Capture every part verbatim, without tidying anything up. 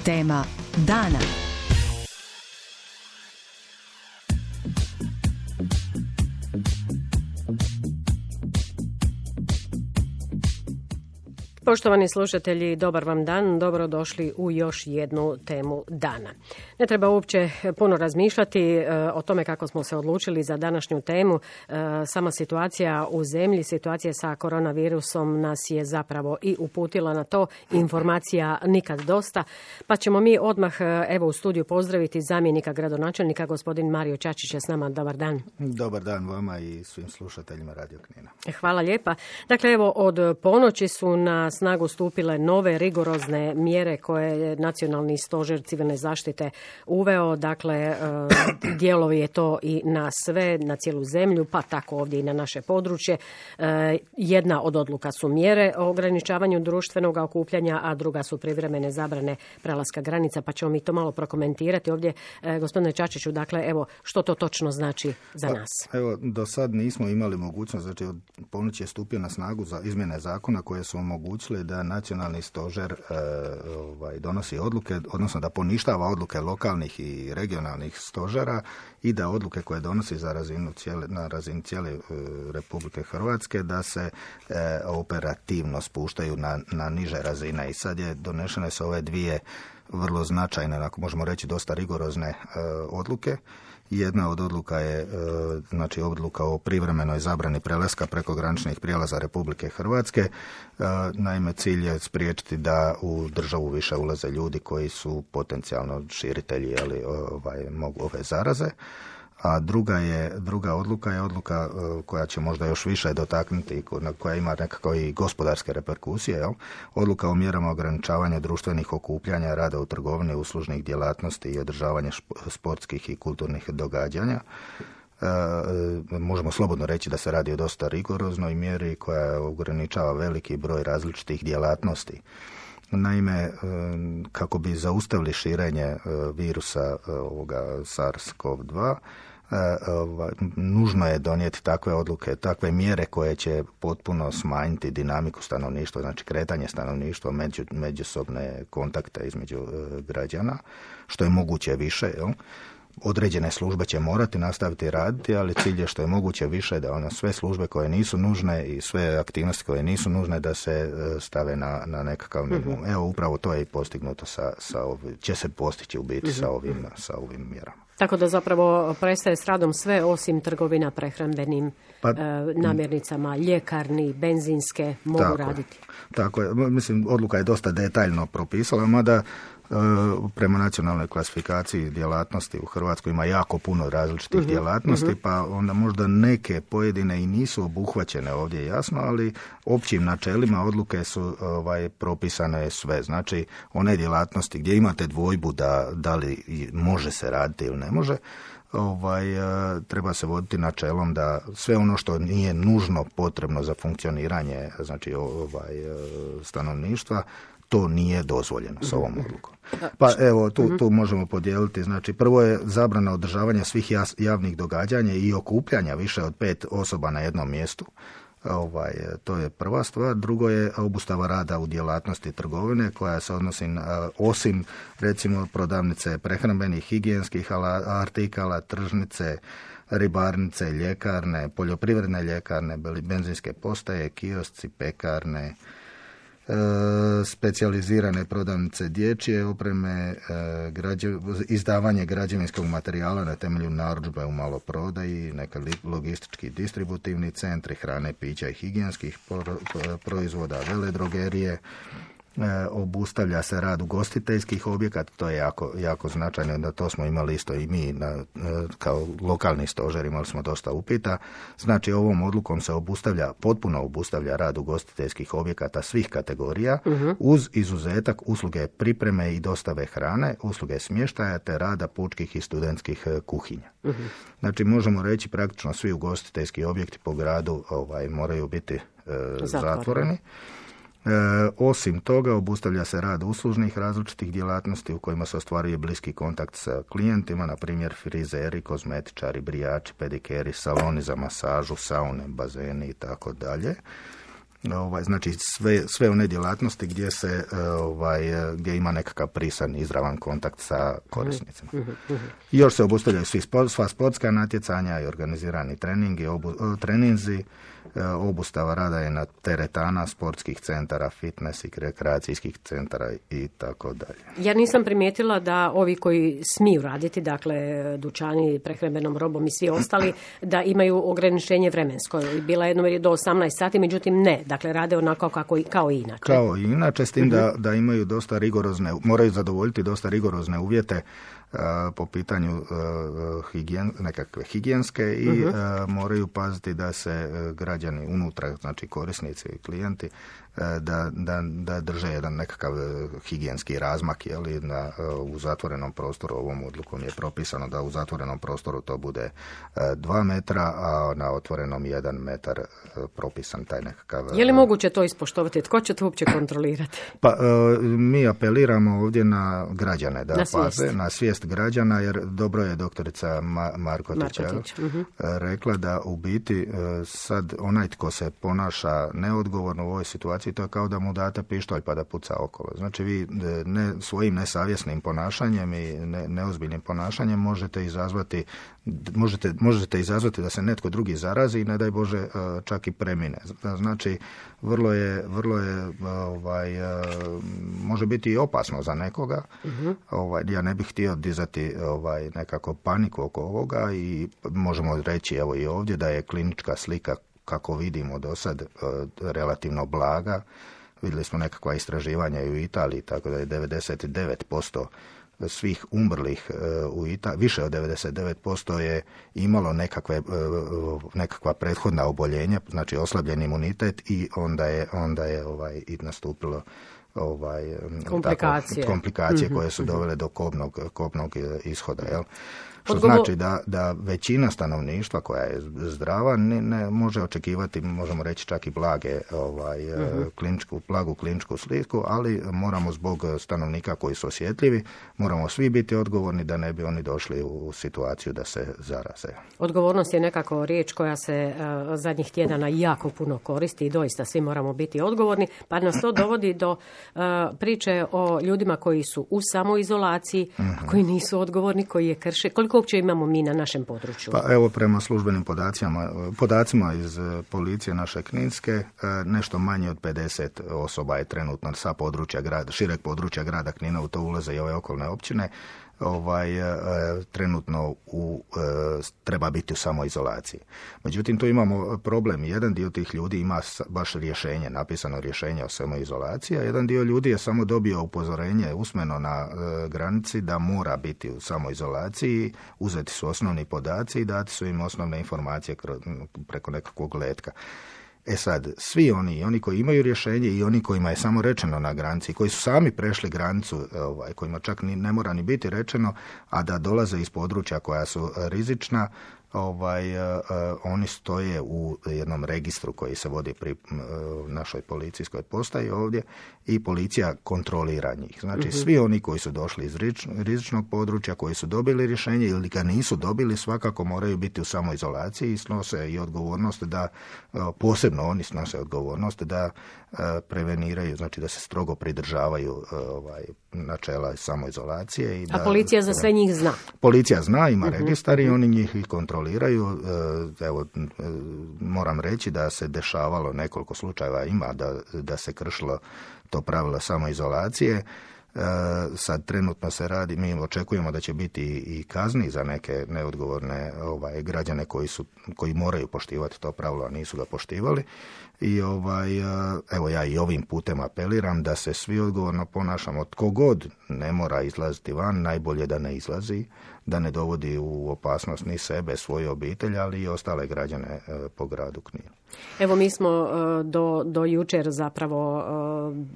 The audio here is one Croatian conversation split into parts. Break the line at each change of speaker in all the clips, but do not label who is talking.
Tema dana.
Poštovani slušatelji, dobar vam dan, dobrodošli u još jednu temu dana. Ne treba uopće puno razmišljati e, o tome kako smo se odlučili za današnju temu. E, sama situacija u zemlji, situacija sa koronavirusom nas je zapravo i uputila na to. Informacija nikad dosta. Pa ćemo mi odmah evo u studiju pozdraviti zamjenika gradonačelnika, gospodin Mario Čačić je s nama. Dobar dan.
Dobar dan vama i svim slušateljima Radio Knina.
Hvala lijepa. Dakle, evo od ponoći su na snagu stupile nove rigorozne mjere koje je Nacionalni stožer civilne zaštite uveo. Dakle, dijelovi je to i na sve, na cijelu zemlju, pa tako ovdje i na naše područje. Jedna od odluka su mjere o ograničavanju društvenog okupljanja, a druga su privremene zabrane prelaska granica, pa ćemo mi to malo prokomentirati ovdje. Gospodine Čačiću, dakle, evo, što to točno znači za nas?
Evo, do sad nismo imali mogućnost, znači od ponoći je stupio na snagu za izmjene zakona koje su omogućile da nacionalni stožer e, ovaj, donosi odluke, odnosno da poništava odluke lokalnih i regionalnih stožera i da odluke koje donosi za razinu cijele, na razini cijele e, Republike Hrvatske da se e, operativno spuštaju na, na niže razine. I sad je donešene su ove dvije vrlo značajne, ako možemo reći dosta rigorozne e, odluke. Jedna od odluka je znači odluka o privremenoj zabrani prelaska preko graničnih prijelaza Republike Hrvatske. Naime, cilj je spriječiti da u državu više ulaze ljudi koji su potencijalno širitelji ali, ovaj, mogu ove zaraze. A druga je druga odluka je odluka koja će možda još više dotaknuti, koja ima nekako i gospodarske reperkusije, jel? Odluka o mjerama ograničavanja društvenih okupljanja, rada u trgovini, uslužnih djelatnosti i održavanje sportskih i kulturnih događanja. E, možemo slobodno reći da se radi o dosta rigoroznoj mjeri koja ograničava veliki broj različitih djelatnosti. Naime, kako bi zaustavili širenje virusa ovoga SARS-CoV dva, nužno je donijeti takve odluke, takve mjere koje će potpuno smanjiti dinamiku stanovništva, znači kretanje stanovništva, među, međusobne kontakte između građana, što je moguće više, jel? Određene službe će morati nastaviti raditi, ali cilj je što je moguće više da ono sve službe koje nisu nužne i sve aktivnosti koje nisu nužne da se stave na, na nekakav minimum. Mm-hmm. Evo upravo to je i postignuto sa, sa ovim, će se postići u biti mm-hmm. sa ovim, sa ovim mjerama.
Tako da zapravo prestaje s radom sve osim trgovina prehrambenim pa, e, namirnicama, ljekarni, benzinske mogu tako, raditi.
Tako je. Mislim, odluka je dosta detaljno propisala, mada prema nacionalnoj klasifikaciji djelatnosti u Hrvatskoj ima jako puno različitih uh-huh, djelatnosti, uh-huh. pa onda možda neke pojedine i nisu obuhvaćene ovdje jasno, ali općim načelima odluke su ovaj, propisane sve. Znači, one djelatnosti gdje imate dvojbu da, da li može se raditi ili ne može, ovaj, treba se voditi načelom da sve ono što nije nužno potrebno za funkcioniranje znači, ovaj, stanovništva, to nije dozvoljeno s ovom odlukom. Pa evo, tu, tu možemo podijeliti. Znači, prvo je zabrana održavanja svih javnih događanja i okupljanja više od pet osoba na jednom mjestu. Ovaj, to je prva stvar. Drugo je obustava rada u djelatnosti trgovine koja se odnosi na, osim recimo prodavnice prehrambenih, higijenskih artikala, tržnice, ribarnice, ljekarne, poljoprivredne ljekarne, benzinske postaje, kiosci, pekarne, E, specijalizirane prodavnice dječje opreme, e, građev, izdavanje građevinskog materijala na temelju narudžbe u maloprodaji, neka logistički distributivni centri hrane, pića i higijenskih proizvoda, veledrogerije. E, obustavlja se rad ugostiteljskih objekata, to je jako, jako značajno, da to smo imali isto i mi na, kao lokalni stožer, imali smo dosta upita. Znači ovom odlukom se obustavlja, potpuno obustavlja rad ugostiteljskih objekata svih kategorija, uh-huh. uz izuzetak usluge pripreme i dostave hrane, usluge smještaja te rada pučkih i studentskih kuhinja. Uh-huh. Znači možemo reći praktično svi ugostiteljski objekti po gradu ovaj, moraju biti e, zatvoreni. E, osim toga, obustavlja se rad uslužnih različitih djelatnosti u kojima se ostvaruje bliski kontakt sa klijentima, na primjer frizeri, kozmetičari, brijači, pedikeri, saloni za masažu, saune, bazeni i tako dalje. ovaj, znači sve, sve one djelatnosti gdje se ovaj, gdje ima nekakav prisan izravan kontakt sa korisnicima. I još se obustavljaju svi sport, sva sportska natjecanja i organizirani treningi, obu, treninzi, obustava rada je na teretana, sportskih centara, fitness i rekreacijskih centara i tako dalje.
Ja nisam primijetila da ovi koji smiju raditi, dakle dućani, prehrambenom robom i svi ostali, da imaju ograničenje vremensko. Bila je jedno do osamnaest sati, međutim ne, dakle rade onako kako, kao i inače.
Kao i inače, s tim uh-huh. da, da imaju dosta rigorozne, moraju zadovoljiti dosta rigorozne uvjete Uh, po pitanju uh, higijen, nekakve higijenske i uh-huh. uh, moraju paziti da se uh, građani unutra, znači korisnici i klijenti, uh, da, da, da drže jedan nekakav uh, higijenski razmak, jeli, na, uh, u zatvorenom prostoru. Ovom odlukom je propisano da u zatvorenom prostoru to bude uh, dva metra, a na otvorenom jedan metar uh, propisan taj nekakav...
Je li moguće to ispoštovati? Tko će to uopće kontrolirati?
Pa uh, mi apeliramo ovdje na građane da
na
paze,
svijest.
na svijest građana, jer dobro je doktorica Ma- Markotić,
Markotić. Uh-huh.
rekla da u biti sad onaj tko se ponaša neodgovorno u ovoj situaciji, to je kao da mu date pištolj pa da puca okolo. Znači vi ne, svojim nesavjesnim ponašanjem i ne, neozbiljnim ponašanjem možete izazvati možete, možete izazvati da se netko drugi zarazi i ne daj Bože čak i premine. Znači vrlo je, vrlo je ovaj, može biti i opasno za nekoga. Uh-huh. Ovaj, ja ne bih htio dizati ovaj, nekako paniku oko ovoga i možemo reći evo i ovdje da je klinička slika kako vidimo do sad relativno blaga. Vidjeli smo nekakva istraživanja i u Italiji, tako da je devedeset devet posto svih umrlih u Italiji, više od devedeset devet posto je imalo nekakve, nekakva prethodna oboljenja, znači oslabljen imunitet i onda je, onda je ovaj, i nastupilo ovaj,
komplikacije,
tako, komplikacije mm-hmm. koje su dovele do kobnog, kobnog ishoda, jel? Što Odgovor... znači da, da većina stanovništva koja je zdrava ne, ne može očekivati, možemo reći čak i blage, ovaj, uh-huh. kliničku, blagu kliničku sliku, ali moramo zbog stanovnika koji su osjetljivi, moramo svi biti odgovorni da ne bi oni došli u situaciju da se zaraze.
Odgovornost je nekako riječ koja se uh, zadnjih tjedana jako puno koristi i doista svi moramo biti odgovorni, pa nas to dovodi do uh, priče o ljudima koji su u samoizolaciji, uh-huh. koji nisu odgovorni, koji je krše. Koliko uopće imamo mi na našem području?
Pa evo, prema službenim podacima, podacima iz policije naše Kninske, nešto manje od pedeset osoba je trenutno sa područja grada, šireg područja grada Knina, u to ulaze i ove okolne općine, ovaj, trenutno u, treba biti u samoizolaciji. Međutim, tu imamo problem. Jedan dio tih ljudi ima baš rješenje, napisano rješenje o samoizolaciji, a jedan dio ljudi je samo dobio upozorenje usmeno na granici da mora biti u samoizolaciji, uzeti su osnovni podaci i dati su im osnovne informacije preko nekakvog letka. E sad, svi oni, oni koji imaju rješenje i oni kojima je samo rečeno na granici, koji su sami prešli granicu, ovaj, kojima čak ni, ne mora ni biti rečeno, a da dolaze iz područja koja su rizična, ovaj, uh, oni stoje u jednom registru koji se vodi pri uh, našoj policijskoj postaji ovdje i policija kontrolira njih. Znači, mm-hmm. svi oni koji su došli iz rizič, rizičnog područja, koji su dobili rješenje ili ga nisu dobili, svakako moraju biti u samoizolaciji i snose i odgovornost da, uh, posebno oni snose odgovornost da uh, preveniraju, znači da se strogo pridržavaju uh, ovaj, načela samoizolacije. I
A
da,
policija za sve njih zna?
Policija zna, ima mm-hmm. registar i oni njih i kontroliraju. Evo, moram reći da se dešavalo nekoliko slučajeva ima da, da se kršilo to pravilo samoizolacije. Sad trenutno se radi, mi očekujemo da će biti i kazni za neke neodgovorne ovaj, građane koji, su, koji moraju poštivati to pravilo, a nisu ga poštivali. I ovaj, evo ja i ovim putem apeliram da se svi odgovorno ponašamo. Tko god ne mora izlaziti van, najbolje da ne izlazi, da ne dovodi u opasnost ni sebe, svoju obitelj, ali i ostale građane po gradu Kninu.
Evo, mi smo do, do jučer zapravo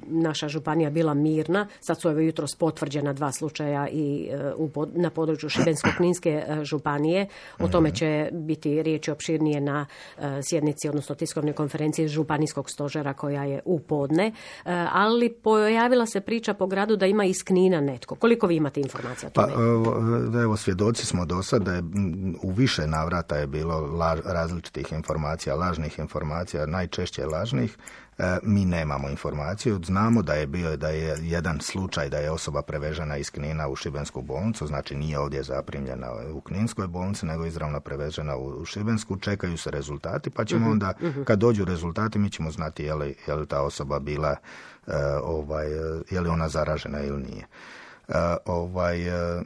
naša županija bila mirna. Sad su evo jutros potvrđena dva slučaja i u, na području Šibensko-kninske županije. O tome će biti riječi opširnije na sjednici, odnosno tiskovnoj konferenciji županijskog stožera koja je u podne. Ali pojavila se priča po gradu da ima iz Knina netko. Koliko vi imate informacija o tome?
Pa, evo, svjedoci smo do sad da je u više navrata je bilo laž, različitih informacija, lažnih informacija, najčešće lažnih. Mi nemamo informaciju. Znamo da je bio da je jedan slučaj da je osoba prevežena iz Knina u Šibensku bolnicu, znači nije ovdje zaprimljena u Kninskoj bolnici, nego izravno prevežena u Šibensku. Čekaju se rezultati, pa ćemo uh-huh, onda, uh-huh. kad dođu rezultati, mi ćemo znati je li, je li ta osoba bila, uh, ovaj, je li ona zaražena ili nije. Uh, ovaj, uh,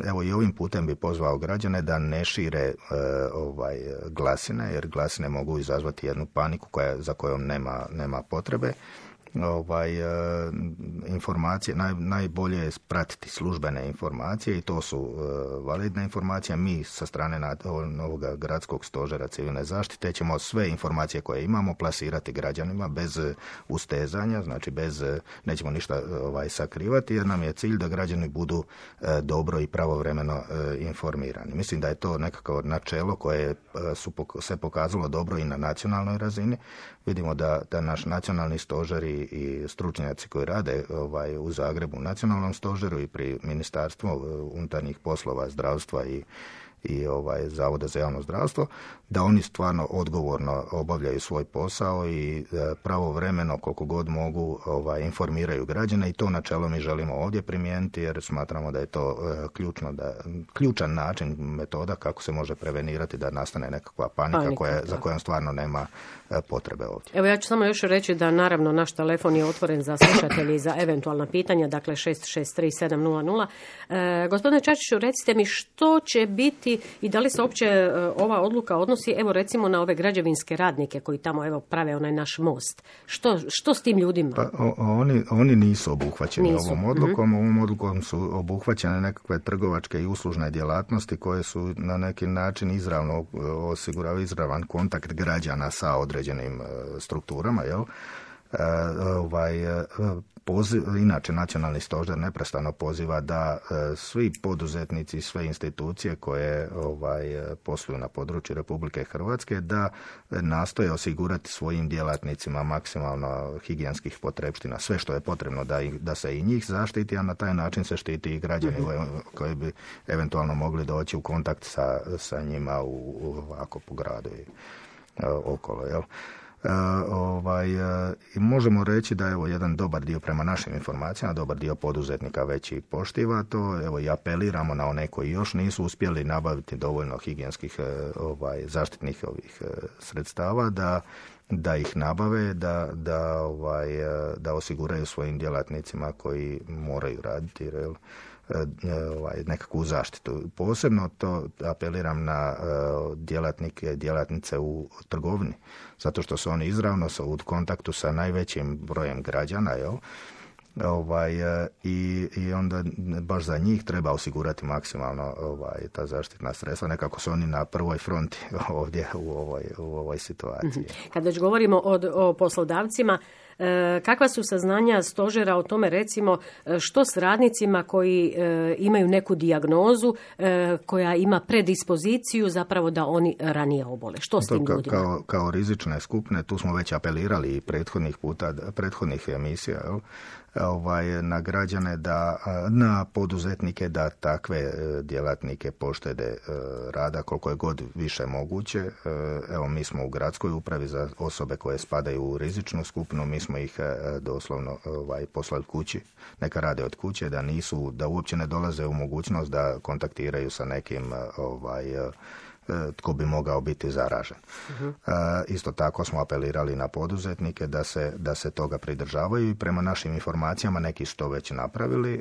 evo i ovim putem bi pozvao građane da ne šire uh, ovaj, glasine, jer glasine mogu izazvati jednu paniku koja, za kojom nema, nema potrebe. Ovaj, e, informacije, naj, najbolje je pratiti službene informacije i to su e, validne informacije. Mi sa strane na, ovoga gradskog stožera civilne zaštite ćemo sve informacije koje imamo plasirati građanima bez ustezanja, znači bez, nećemo ništa ovaj, sakrivati, jer nam je cilj da građani budu e, dobro i pravovremeno e, informirani. Mislim da je to nekako načelo koje e, su, se pokazalo dobro i na nacionalnoj razini. Vidimo da, da naš nacionalni stožer i, i stručnjaci koji rade ovaj, u Zagrebu u nacionalnom stožeru i pri Ministarstvu unutarnjih poslova, zdravstva i, i ovaj, Zavoda za javno zdravstvo, da oni stvarno odgovorno obavljaju svoj posao i e, pravovremeno koliko god mogu ovaj, informiraju građane i to načelo mi želimo ovdje primijeniti jer smatramo da je to e, ključno, da, ključan način, metoda kako se može prevenirati da nastane nekakva panika, panika koja, za kojom stvarno nema e, potrebe ovdje.
Evo ja ću samo još reći da naravno naš telefon je otvoren za slušatelji za eventualna pitanja, dakle šest šest tri sedam nula nula. E, gospodine Čačiću, recite mi što će biti i da li se uopće e, ova odluka odnosi evo recimo na ove građevinske radnike koji tamo evo prave onaj naš most. Što, što s tim ljudima?
Pa, o, oni, oni nisu obuhvaćeni nisu. ovom odlukom. Mm-hmm. Ovom odlukom su obuhvaćene nekakve trgovačke i uslužne djelatnosti koje su na neki način izravno osiguravaju izravan kontakt građana sa određenim strukturama, jel? E, ovaj, poziv, inače nacionalni stožer neprestano poziva da e, svi poduzetnici, sve institucije koje ovaj, posluju na području Republike Hrvatske da nastoje osigurati svojim djelatnicima maksimalno higijenskih potrepština, sve što je potrebno da, da se i njih zaštiti, a na taj način se štiti i građani mm-hmm. koji bi eventualno mogli doći u kontakt sa, sa njima u, ovako po gradu i e, okolo, jel? Uh, ovaj, uh, i možemo reći da evo jedan dobar dio prema našim informacijama, dobar dio poduzetnika već i poštiva to, evo i apeliramo na one koji još nisu uspjeli nabaviti dovoljno higijenskih uh, ovaj, zaštitnih ovih uh, sredstava da, da ih nabave, da, da, ovaj, uh, da osiguraju svojim djelatnicima koji moraju raditi, jer ovaj, nekakvu zaštitu. Posebno to apeliram na uh, djelatnike, djelatnice u trgovini, zato što su oni izravno u kontaktu sa najvećim brojem građana, jel? Ovaj, i, i onda baš za njih treba osigurati maksimalno ovaj, ta zaštitna sredstva. Nekako su oni na prvoj fronti ovdje u ovoj, u ovoj situaciji.
Kad već govorimo o, o poslodavcima, E, kakva su saznanja stožera o tome recimo što s radnicima koji e, imaju neku dijagnozu e, koja ima predispoziciju zapravo da oni ranije obole? Što s tim
ka,
ljudima?
Kao, kao rizične skupine, tu smo već apelirali i prethodnih puta, prethodnih emisija, jel? Ovaj, na građane, da, na poduzetnike da takve djelatnike poštede rada koliko je god više moguće. Evo, mi smo u gradskoj upravi za osobe koje spadaju u rizičnu skupinu, mi smo ih doslovno ovaj, poslali kući, neka rade od kuće, da nisu, da uopće ne dolaze u mogućnost da kontaktiraju sa nekim ovaj, tko bi mogao biti zaražen. Uh-huh. E, isto tako smo apelirali na poduzetnike da se, da se toga pridržavaju i prema našim informacijama neki su to već napravili. E,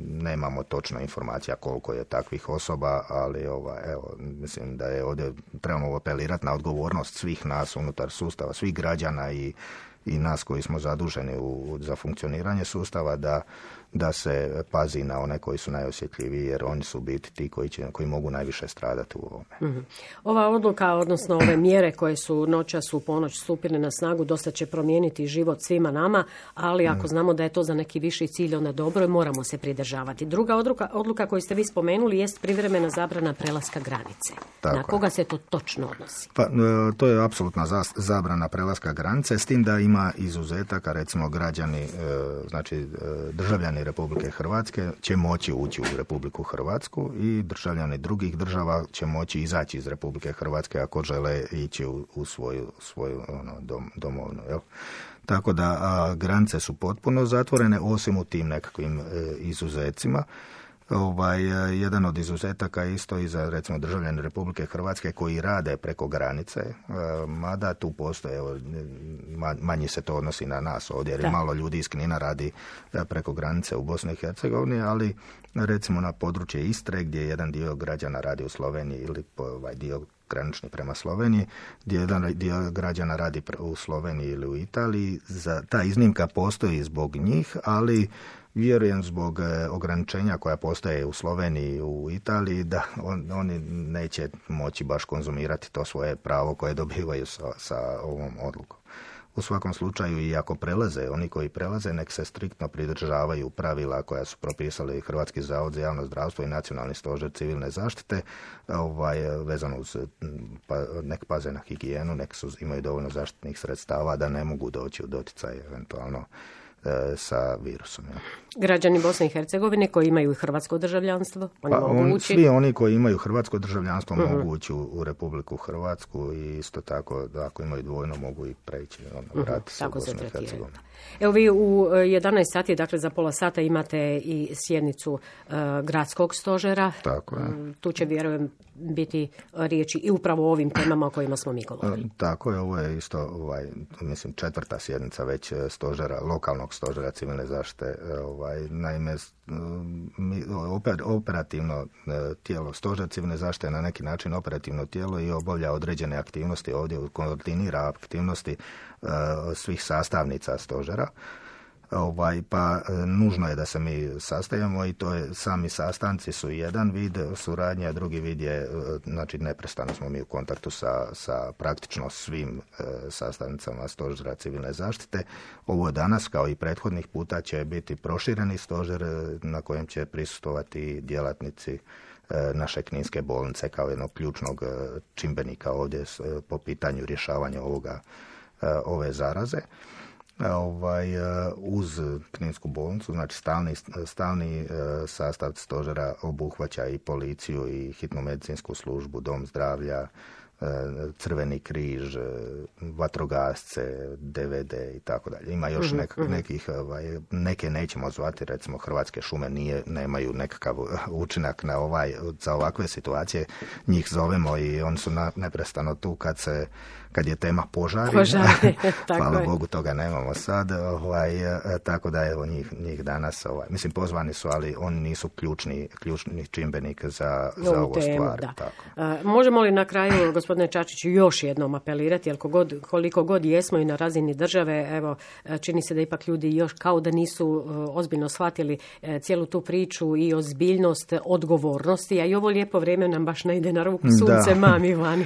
nemamo točno informacija koliko je takvih osoba, ali ova, evo, mislim da je ovdje trebamo apelirati na odgovornost svih nas unutar sustava, svih građana i i nas koji smo zaduženi u, za funkcioniranje sustava da, da se pazi na one koji su najosjetljiviji, jer oni su biti ti koji, će, koji mogu najviše stradati u ovome. Mm-hmm.
Ova odluka, odnosno ove mjere koje su noćas u ponoć stupile na snagu, dosta će promijeniti život svima nama, ali ako mm. znamo da je to za neki viši cilj, onda dobro i moramo se pridržavati. Druga odluka, odluka koju ste vi spomenuli jest privremena zabrana prelaska granice. Tako na koga je. Se to točno odnosi?
Pa, to je apsolutna zabrana prelaska granice, s tim da ima ima izuzetaka, recimo građani, znači državljani Republike Hrvatske će moći ući u Republiku Hrvatsku i državljani drugih država će moći izaći iz Republike Hrvatske ako žele ići u, u svoju, svoju ono, dom, domovnu. Jel? Tako da a, granice su potpuno zatvorene, osim u tim nekakvim e, izuzecima. Ovaj, jedan od izuzetaka isto i za recimo državljane Republike Hrvatske koji rade preko granice, mada tu postoje, evo, manji se to odnosi na nas ovdje, jer da. Malo ljudi iz Knina radi preko granice u Bosni i Hercegovini, ali recimo na područje Istre gdje jedan dio građana radi u Sloveniji ili ovaj dio granični prema Sloveniji, gdje jedan dio građana radi u Sloveniji ili u Italiji, za, ta iznimka postoji zbog njih, ali vjerujem zbog ograničenja koja postoje u Sloveniji i u Italiji da on, oni neće moći baš konzumirati to svoje pravo koje dobivaju sa, sa ovom odlukom. U svakom slučaju, i ako prelaze, oni koji prelaze, nek se striktno pridržavaju pravila koja su propisali Hrvatski zavod za javno zdravstvo i Nacionalni stožer civilne zaštite, ovaj, vezano uz, pa, nek paze na higijenu, nek su, imaju dovoljno zaštitnih sredstava da ne mogu doći u doticaj eventualno sa virusom. Ja.
Građani Bosne i Hercegovine koji imaju hrvatsko državljanstvo, oni
pa
mogu
on,
ući?
Svi oni koji imaju hrvatsko državljanstvo uh-huh. mogu ući u, u Republiku Hrvatsku i isto tako da ako imaju dvojno mogu i preći, ono, vratiti uh-huh. se u Bosnu i Hercegovinu.
Evo vi u jedanaest sati, dakle za pola sata imate i sjednicu uh, gradskog stožera.
Tako je.
Tu će, vjerujem, biti riječi i upravo o ovim temama o kojima smo mi govorili.
Tako je, ovo je isto, ovaj, mislim, četvrta sjednica već stožera, lokalnog stožera civilne zaštite. Ovaj, naime, mi, oper, operativno tijelo, stožer civilne zaštite je na neki način operativno tijelo i obavlja određene aktivnosti ovdje, koordinira aktivnosti uh, svih sastavnica stožera. Ovaj, pa nužno je da se mi sastajemo i to je, sami sastanci su jedan vid suradnje, a drugi vid je, znači neprestano smo mi u kontaktu sa, sa praktično svim e, sastavnicama stožera civilne zaštite. Ovo danas, kao i prethodnih puta, će biti prošireni stožer na kojem će prisustvovati djelatnici e, naše Kninske bolnice kao jednog ključnog čimbenika ovdje s, po pitanju rješavanja ovoga, e, ove zaraze. Ovaj, uz Kninsku bolnicu, znači stalni, stalni sastav stožera obuhvaća i policiju i hitnu medicinsku službu, dom zdravlja, Crveni križ, vatrogasce, D V D i tako dalje. Ima još nek, nekih, ovaj, neke nećemo zvati, recimo Hrvatske šume nije, nemaju nekakav učinak na ovaj, za ovakve situacije, njih zovemo i oni su na, neprestano tu kad se kad je tema požari.
Požari,
hvala
je.
Bogu, toga nemamo sad. Ovaj, tako da evo njih, njih danas, ovaj, mislim pozvani su, ali oni nisu ključni, ključni čimbenik za, za ovo stvar. Tako.
Uh, možemo li na kraju, gospodine Čačiću, još jednom apelirati, jer kogod, koliko god jesmo i na razini države, evo, čini se da ipak ljudi još kao da nisu uh, ozbiljno shvatili uh, cijelu tu priču i ozbiljnost odgovornosti, a i ovo lijepo vrijeme nam baš ne ide na ruku, sunce da. Mami vani.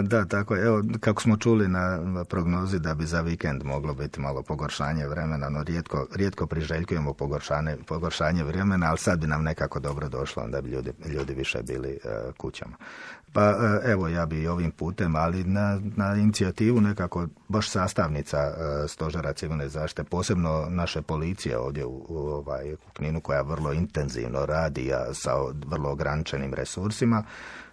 Da, tako je. Evo, kako smo čuli na prognozi da bi za vikend moglo biti malo pogoršanje vremena, no rijetko, rijetko priželjkujemo pogoršanje, pogoršanje vremena, ali sad bi nam nekako dobro došlo, onda bi ljudi, ljudi više bili uh, kućama. Pa uh, evo, ja bi ovim putem, ali na, na inicijativu nekako baš sastavnica uh, stožera civilne zaštite, posebno naše policije ovdje u, u, ovaj, u Kninu, koja vrlo intenzivno radi a sa vrlo ograničenim resursima.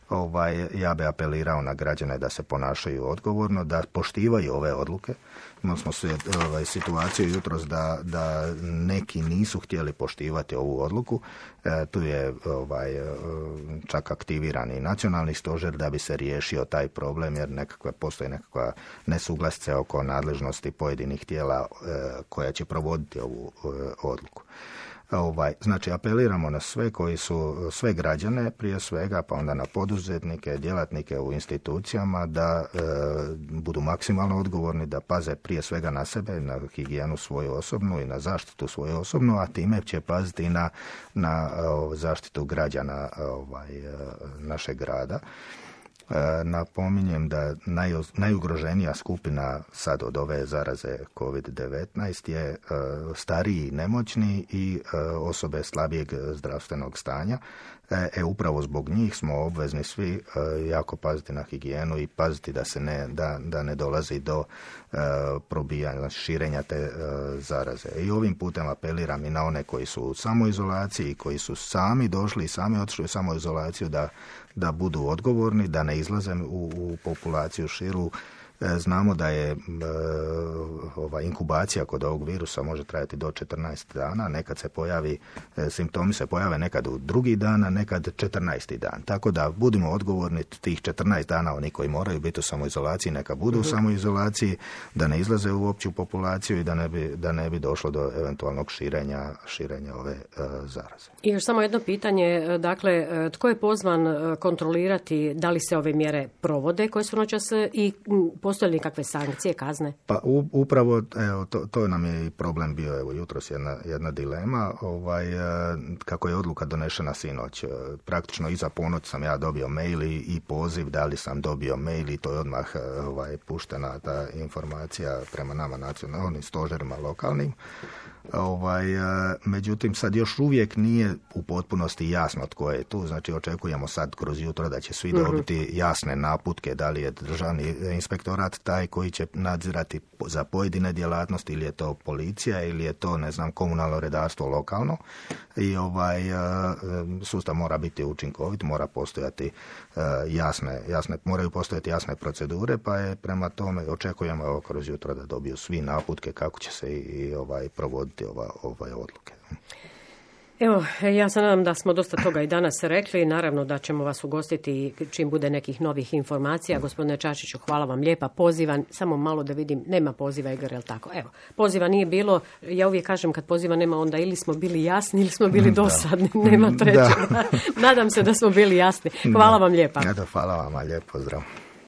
Ovaj, ja bi apelirao na građane da se ponašaju odgovorno, da poštivaju ove odluke. Imali smo se, ovaj, situaciju jutros da, da neki nisu htjeli poštivati ovu odluku. E, tu je ovaj, čak aktiviran i nacionalni stožer da bi se riješio taj problem, jer nekakve, postoji nekakva nesuglasice oko nadležnosti pojedinih tijela e, koja će provoditi ovu e, odluku. Ovaj, znači apeliramo na sve koji su, sve građane prije svega, pa onda na poduzetnike, djelatnike u institucijama da e, budu maksimalno odgovorni, da paze prije svega na sebe, na higijenu svoju osobnu i na zaštitu svoju osobnu, a time će paziti i na, na o, zaštitu građana ovaj, našeg grada. Napominjem da naj, najugroženija skupina sad od ove zaraze kovid devetnaest je stariji, nemoćni i osobe slabijeg zdravstvenog stanja. E, upravo zbog njih smo obvezni svi e, jako paziti na higijenu i paziti da se ne, da, da ne dolazi do e, probijanja, širenja te e, zaraze. I ovim putem apeliram i na one koji su u samoizolaciji, koji su sami došli i sami otišli u samoizolaciju da, da budu odgovorni, da ne izlaze u, u populaciju širu. Znamo da je e, ova inkubacija kod ovog virusa može trajati do četrnaest dana, nekad se pojavi, e, simptomi se pojave nekad u drugi dan, a nekad četrnaesti dan. Tako da budimo odgovorni tih četrnaest dana, oni koji moraju biti u samoizolaciji, neka budu u samoizolaciji, da ne izlaze u opću populaciju i da ne bi, da ne bi došlo do eventualnog širenja, širenja ove e, zaraze.
I još samo jedno pitanje, dakle, tko je pozvan kontrolirati da li se ove mjere provode koje su noćas i postoje li kakve sankcije, kazne?
Pa u, upravo, evo, to, to nam je i problem bio, evo, jutros jedna, jedna dilema, ovaj, kako je odluka donešena sinoć. Praktično iza ponoć sam ja dobio mail i, i poziv, da li sam dobio mail i to je odmah ovaj, puštena ta informacija prema nama nacionalnim stožerima lokalnim. Ovaj, međutim, sad još uvijek nije u potpunosti jasno tko je tu, znači očekujemo sad kroz jutro da će svi dobiti jasne naputke, da li je državni inspektorat taj koji će nadzirati za pojedine djelatnosti ili je to policija ili je to, ne znam, komunalno redarstvo lokalno i ovaj sustav mora biti učinkovit, mora postojati jasne, jasne, moraju postojati jasne procedure, pa je prema tome očekujemo evo, kroz jutro da dobiju svi naputke kako će se i, i ovaj provoditi ova, ove odluke.
Evo, ja se nadam da smo dosta toga i danas rekli. Naravno da ćemo vas ugostiti čim bude nekih novih informacija. Gospodine Čačiću, hvala vam lijepa. Pozivan, samo malo da vidim, nema poziva, Igor, jel tako? Evo, poziva nije bilo. Ja uvijek kažem kad poziva nema, onda ili smo bili jasni ili smo bili dosadni. Nema trećega. Nadam se da smo bili jasni. Hvala vam lijepa.
Hvala vam, lijep pozdrav.